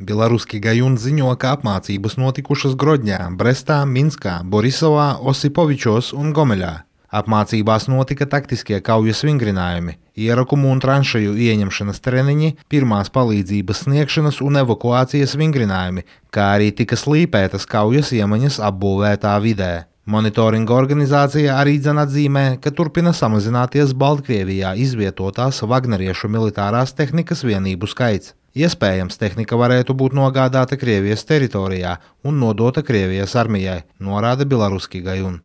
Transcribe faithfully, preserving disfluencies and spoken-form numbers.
Belaruski Gajun ziņo, ka apmācības notikušas Grodņā, Brestā, Minskā, Borisovā, Osipovičos un Gomeļā. Apmācībās notika taktiskie kaujas vingrinājumi, ierakumu un tranšeju ieņemšanas treniņi, pirmās palīdzības sniegšanas un evakuācijas vingrinājumi, kā arī tika slīpētas kaujas iemaņas apbūvētā vidē. Monitoringa organizācija arī dzen atzīmē, ka turpina samazināties Baltkrievijā izvietotās vagneriešu militārās tehnikas vienību skaits. Iespējams, tehnika varētu būt nogādāta Krievijas teritorijā un nodota Krievijas armijai, norāda Belaruski Gajun.